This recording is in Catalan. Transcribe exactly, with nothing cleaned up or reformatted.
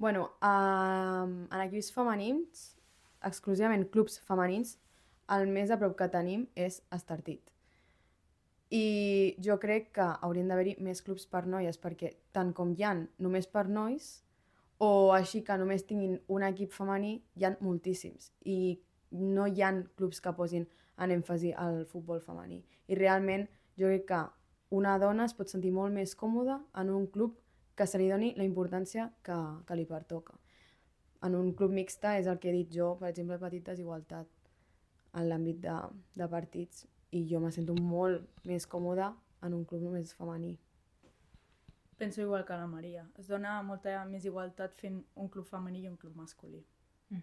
Bueno, um, en equips femenins, exclusivament clubs femenins, el més a prop que tenim és Estartit. I jo crec que haurien d'haver-hi més clubs per noies, perquè tant com hi ha només per nois, o així que només tinguin un equip femení, hi ha moltíssims. I no hi ha clubs que posin en èmfasi al futbol femení. I realment jo crec que una dona es pot sentir molt més còmoda en un club que se li doni la importància que, que li pertoca. En un club mixta és el que he dit jo, per exemple, petit desigualtat en l'àmbit de, de partits, i jo me sento molt més còmoda en un club només femení. Penso igual que la Maria. Es dona molta més igualtat fent un club femení i un club masculí. Mm-hmm.